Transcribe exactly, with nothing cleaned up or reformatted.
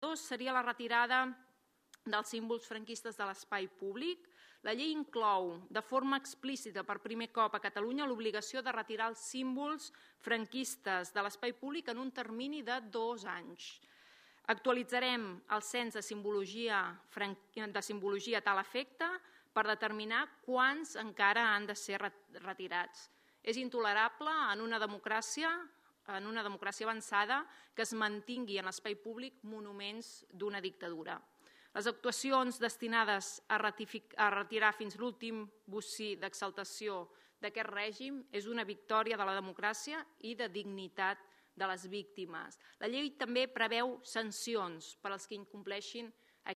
dos seria la retirada dels símbols franquistes de l'espai públic. La llei inclou de forma explícita per primer cop a Catalunya l'obligació de retirar els símbols franquistes de l'espai públic en un termini de dos anys. Actualitzarem el cens de simbologia, de simbologia a tal efecte per determinar quants encara han de ser retirats. És intolerable en una democràcia, en una democràcia avançada que es mantingui en l'espai públic monuments d'una dictadura. Les actuacions destinades a retirar fins l'últim bocí d'exaltació d'aquest règim és una victòria de la democràcia i de dignitat de les víctimes. La llei també preveu sancions per als que incompleixin